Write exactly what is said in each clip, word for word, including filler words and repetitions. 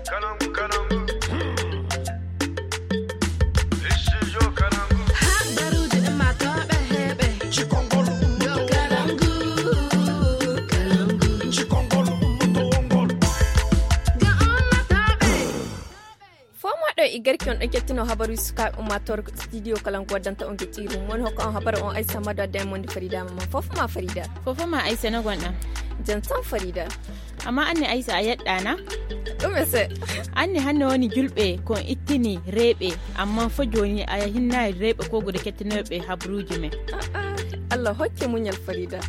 Habaruuji ummaatooɓe heɓe. Cikongol ummaatooɓe. Cikongol ummaatooɓe. Fomoɗo e garki on ɗon kettino habaruuji sukaaɓe ummaatoore ko studio kala ko waddanta on geɗɗiiru woni hokka on habaru on aysa mado adda e monde farida ma fof ma farida. Fof ma aysa no gonɗa? Jam tan farida. Amma anne aysa a yeɗɗana. Ɗume se? Anne hanne woni julɓe ko ittini reeɓe amma fo joni a hinnayi reeɓe ko gude kettinooɓe habaruuji men. Allah hokke muñal farida.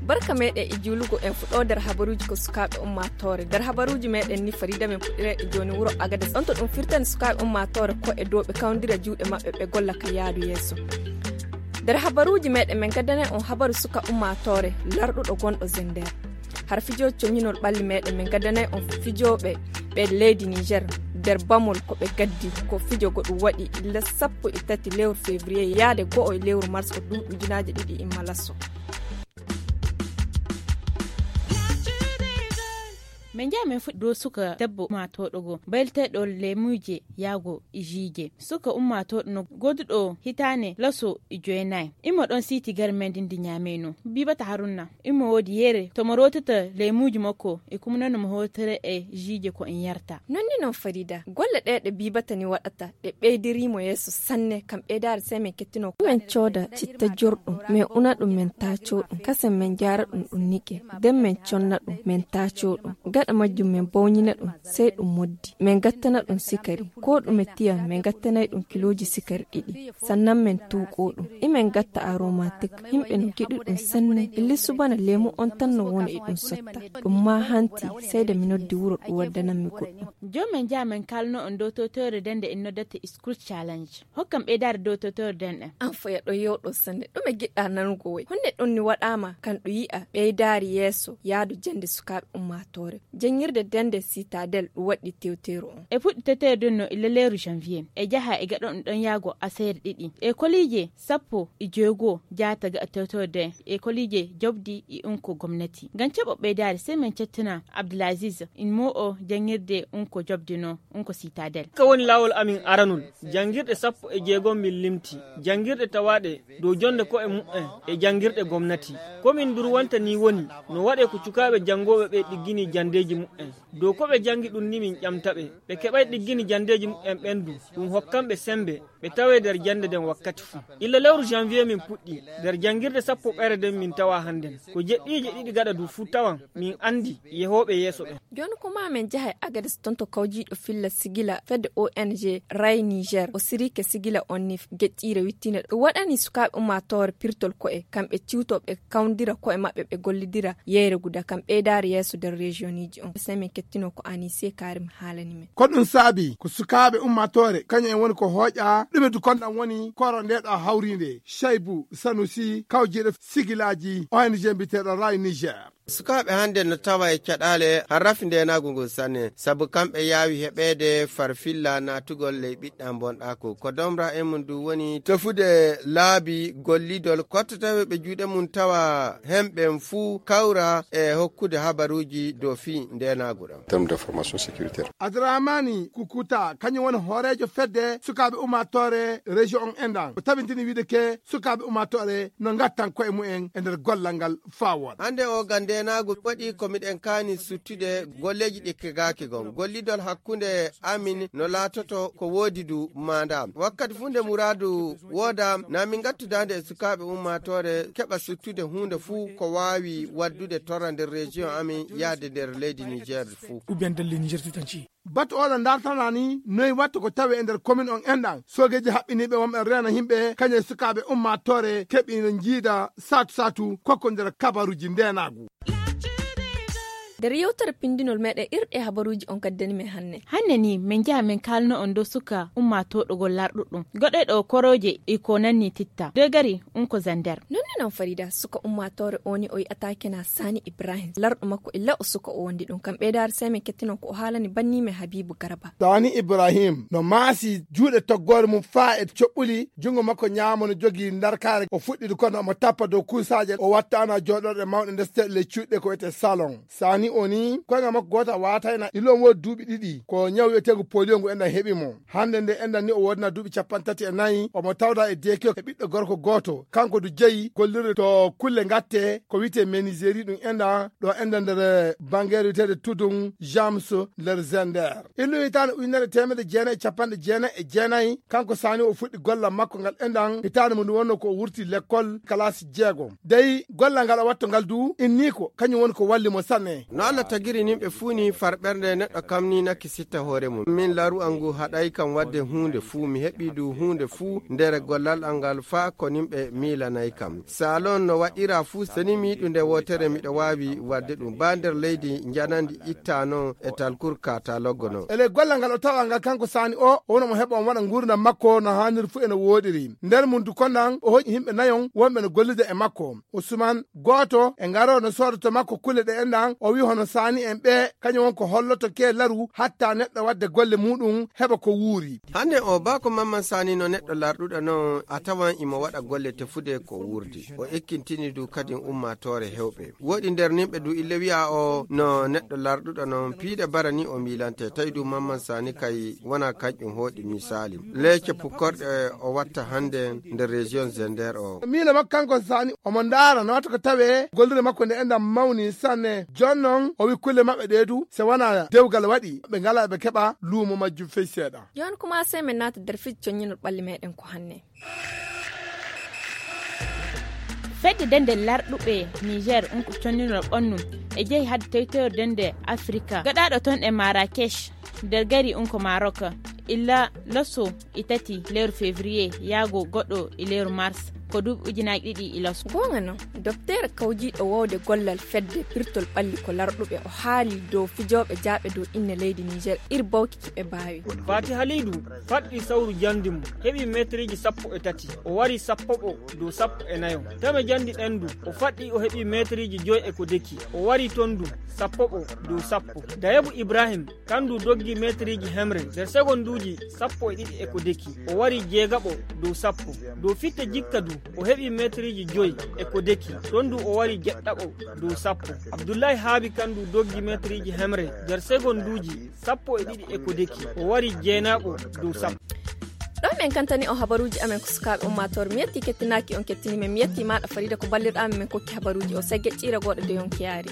Barka meɗen e juulugo en fuɗɗo nder habaruuji ko sukaaɓe ummaatoore. Nder habaruuji meɗen ni farida men puɗɗira e jooni wuro agades on to ɗum firtani sukaaɓe ummaatoore ko e dow ɓe kawndira juuɗe maɓɓe ɓe golla ka yaadu yeeso. Nder habaruuji meɗen min gaddanay on habaru suka ummaatoore larɗuɗo gonɗo zender. Har fijooji coñinol ɓalli meɗen min gaddanay on fijooɓe ɓe leydi niger. Nder bamol ko ɓe gaddi ko fijo goɗum waɗi illa sappo e tati lewru février yaade go'o e lewru mars o duuɓi ujunaaji ɗiɗi imma lasso. Min njaha min fuɗɗi dow suka debbo ummaatooɗo goo bayleteeɗo leemuuje yaago e jiije. Suka ummaatooɗo no gooduɗo hitaande laso e joynayi. Imo ɗon siiti garmeendi ndi ñaameyno bibata harunna. Imo woodi yeere to mo rootata leemuuji makko e kumnano mo hootere e jiije ko en yarta. Nonni noon farida golle ɗee ɗe bibata ni waɗata ɗe ɓeydirii mo yeeso sanne kam ɓeydaare sey min kettino ko min cooda citta jorɗum min una ɗum min taaco ɗum kasen min jaara ɗum ɗum niqe. Nden min conna ɗum min taaco ɗum gaɗa majjum min bawñina ɗum sey ɗum moddi min gattana ɗum sikari. Ko ɗume tiyam min gattanay ɗum kilooji sikari ɗiɗi sannan min tuuqo ɗum imin gatta aromatik. Yimɓe no giɗi ɗum sanne illi subana leemu on tan no wona e ɗum sotta. Ɗum ma hanti sey da mi noddi wuro ɗum waddanammi goɗɗum. Jooni min njaha min kaalno on dow totore nden nde en noddata school challenge. Hokkam ɓeydaare dow totore nden ɗen. An foya ɗo yewɗo sanne ɗume giɗɗa nanugo woy honde ɗon ni waɗama kan ɗum yi'a ɓeydaari yeeso yaadu jannde sukaaɓe ummaatoore. Janngirde dennde citadel ɗum waɗɗi tewteeru on. E fuɗɗi tewteeru ndun no illa leeru janvier e jaha e gaɗa ɗum ɗon yaago aseere ɗiɗi e koliije sappo e joygo jaata gaɗa tewteeru nden e koliije jobdi e unko gomnati ngam caɓo ɓeydaari sey min cettina abdulaziz in mo'o janngirde unko jobdi no unko citadel. Ka woni laawol amin aranol janngirɗe sappo e jeegom min limti janngirɗe tawaaɗe dow jonnde ko'e mu'en e janngirɗe gomnati. Ko min ndurwanta nii woni no waɗee ko cukaaɓe janngooɓe ɓee ɗiggini janndeeji mu'en. Dow ko ɓe janngi ɗum ni min ƴamta ɓe. Ɓe keɓay ɗiggini janndeeji mu'en ɓen du ɗum hokkan ɓe semmbe ɓe tawee nder jannde nden wakkati fuu. Illa lewru janvier min puɗɗi nder janngirde sappoɓere nden min tawa hannden ko jeɗɗiije ɗiɗi gaɗa du fuu tawan min anndi yehooɓe yeeso ɓen. Jooni ko ma min njaha e agades ton to kawjiiɗo filla sigila fedde ong ray niger o sirike sigila on nif geƴƴiire wittiinde ɗum waɗani sukaaɓe ummaatoore pirtol ko'e kamɓe ciwto ɓe kawndira ko'e maɓɓe ɓe gollidira yeyre guda kam ɓeydaare yeeso nder rejiyoniji on sey min kettino ko anise karim haalani men. Ko ɗum saabi ko sukaaɓe ummaatoore kañum en woni ko hooƴa ɗume du konɗam woni koro ndeɗo hawriinde cheybu sanusi kawjiiɗo sigilaaji ong mbiteeɗo ray niger. Sukaaɓe hannde no tawa e caɗaale har rafi ndeenaagu ngun sanne sabu kamɓe yaawi heɓeede farfilla naatugol ley ɓiɗɗa bonɗaaku ko domra e mum du woni tefude laabi gollidol kotta taweɓe juuɗe mum tawa hemɓen fuu kawra e hokkude habaruuji dow fii ndeenaagu ɗam. Terme de formation sécuritaire. Adramani kukuta kañum woni hooreejo fedde sukaaɓe ummaatoore région on enɗan o tabintini wiide ke sukaaɓe ummaatoore no ngattan koye mumen e nder gollal ngal faa wooɗa. Hannde o ga ndeenaagu waɗi ko miɗen kaani suttude golleeji ɗi kegaaki gon gollidol hakkunde amin no laatoto ko woodi du maanda wakkati fuu nde muraadu wooda na min ngattudaande e sukaaɓe ummaatoore keɓa suttude huunde fuu ko waawi waddude torra nder région amin yahde nder leydi niger fuu. Ou bien nder leydi niger tout entier. Batu oɗo dartana ni noy watta ko tawe e nder commune on enɗan soogeeji haɓɓiniiɓe wonɓe reena yimɓe kañe sukaaɓe ummaatoore keɓi no njiida saatu saatu kokko nder kabaruuji ndeenaagu. Nder yewtere pindinol meɗen irɗe habaruuji on gaddani men hannde. Hannde ni min njaha min kaalno on dow suka ummaatooɗo gol larɗuɗum goɗɗoyɗo korooje e ko nanni titta degari unko zander. Nonni noon farida suka ummaatoore o ni o yi'ataake na sani ibrahim larɗo makko illa o suka o wondi ɗum kam ɓeydaare sey min kettinon ko o haalani bannimen habibu garba. Sani ibrahim no maasi juuɗe toggoore mum faa e coɓɓuli junngo makko ñaamo no jogii ndarkaare o fuɗɗiri kono omo tappa dow kuusaaje o wattaana jooɗorɗe mawɗe ndeste ley cuuɗi ɗe ko wiyetee salon. Sani. O ni koyngal makko gooto a waatayna, ilo mo duuɓi ɗiɗi, ko ñaw wiyeteego polio ngu enɗan heɓi mo. Hannde nde enɗan ni o woodina duuɓi capanɗe tati e nayi, omo tawda e deekiyo e ɓiɗɗo gorko gooto. Kanko du jeyi gollirde to kulle ngatte ko wiyetee meniseri ɗum enɗan ɗo enɗan nder bangeere wiyeteede Tudun James nder Zender. Illu hitaande ujunere teemedde jeenayi e capanɗe jeenayi e jeenayi, kanko Sani o fuɗɗi gollal makko ngal enɗan hitaande mum wonno ko o wurti lekkol kalaasi jeegom. Dey gollal ngal o watto ngal du inni ko kañum woni ko walli mo sanne. No Allah tagiri nimɓe fuu ni far ɓernde neɗɗo kam ni nakki sitta hoore mum. Min laru'al ngu haɗay kam wadde huunde fuu, mi heɓi du huunde fuu nder gollal am ngal faa ko nimɓe miilanay kam. Salon no waɗira fuu seni mi yiɗu nde wootere miɗo waawi wadde ɗum. Ba nder leydi njanandi itta non e talkur kataloggo non. E ley gollal ngal o tawa ngal kanko Sani o, o wona mo heɓa on waɗa nguurndam makko no haaniri fuu e no wooɗiri. Nder mum du kondan o hoƴi yimɓe nayon wonɓe no gollude e makko. Usman gooto e ngarooɗo no sooda to makko kulle ɗe enɗan, o wi hono Sani en ɓe kañum won ko holloto ke laru hatta neɗɗo wadde golle muɗum heɓa ko wuuri. Hannde o ba ko Mamman Sani no neɗɗo larɗuɗo non a tawan imo waɗa golle tefude ko wuurdi. O ekkintini du kadin ummaatoore hewɓe. Woɗi nder nimɓe du ille wi'a o no neɗɗo larɗuɗo non piide bara ni o miilante tawi du Mamman Sani kay wona kanƴum hooɗi misali. Leece pukkorɗe o watta hannde nder région Zender o. Miila makko kanko Sani omo ndaara no watta ko tawe gollirde makko nde enɗan mawni sanne. Jon non o wi kulle maɓɓe ɗe du se wona dewgal waɗi ɓe ngala ɓe keɓa luumo majjum fey seeɗa. Yon kuma sey men naata nder fiji conñinol ɓalli meɗen ko hanne. Fedde dende larɗuɓe Niger unko conninol ɓannum e jehi hadde tewtewre dende Afrika gaɗaɗo toon e Marrakech nder gari unko Maroc illa loso e tati lewru février yaago goɗɗo e lewru mars ko duuɓi ujunaaji ɗiɗi e loso. Goonga non, dopteere kawjiiɗo wowde gollal fedde pirtol ɓalli ko larɗuɓe o haali dow fijooɓe jaaɓe dow inne leydi Niger ir bawki kiɓe baawi. Fati Halidu faɗɗi sawru jandi mum, heɓi meetiriji sappo e tati, o wari sappoɓo dow sappo e nayo. Tame jandi ɗen du, o faɗɗi o heɓi meetiriji joy e ko deki, o wari ton du sappoɓo dow sappo. Dayebu Ibrahim kandu doggi meetiriji hemre nder segonduji sappo e ɗiɗi e ko deki, o wari jeegaɓo dow sappo. Dow fitte jikka du, o heɓi meetiriji joy e ko deki, ton du o wari jeɗɗaɓo dow sappo. Abdullahi Haabi kandu doggi meetiriji hemre nder segonduji sappo e ɗiɗi e ko deki, o wari jeenaɓo dow sappo. Ɗo men kantani on habaruuji amen ko sukaaɓe ummaatoore, mi yetti kettinaaki on kettini men, mi yetti maaɗa Farida ko ballirɗaa men, men kokki habaruuji o segge ƴiira gooɗo de yonki yaari.